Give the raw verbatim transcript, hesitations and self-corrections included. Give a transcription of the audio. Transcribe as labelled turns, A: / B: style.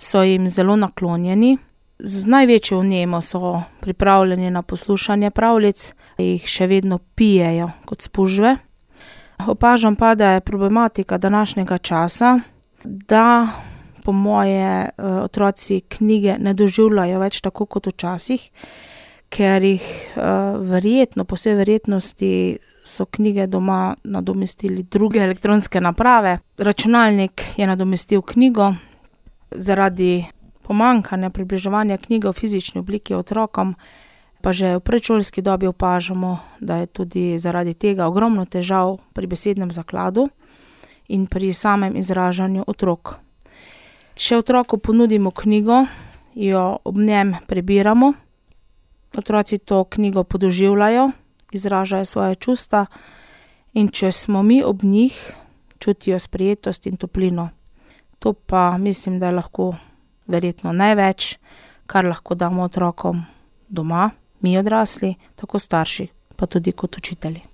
A: so jim zelo naklonjeni. Z največjo vnemo so pripravljeni na poslušanje pravljic, jih še vedno pijejo kot spužve. Opažam pa, da je problematika današnjega časa, da po moje otroci knjige ne doživljajo več tako kot včasih, ker jih verjetno, po vsej verjetnosti so knjige doma nadomestili druge elektronske naprave. Računalnik je nadomestil knjigo, zaradi pomanjkanja približevanja knjige v fizični obliki otrokom, pa že v predšolski dobi opažamo, da je tudi zaradi tega ogromno težav pri besednem zakladu in pri samem izražanju otrok. Če otroku ponudimo knjigo, jo ob njem prebiramo, otroci to knjigo podoživljajo, izražajo svoje čustva in če smo mi ob njih, čutijo sprejetost in toplino. To pa mislim, da je lahko verjetno največ, kar lahko damo otrokom doma, mi odrasli, tako starši, pa tudi kot učitelji.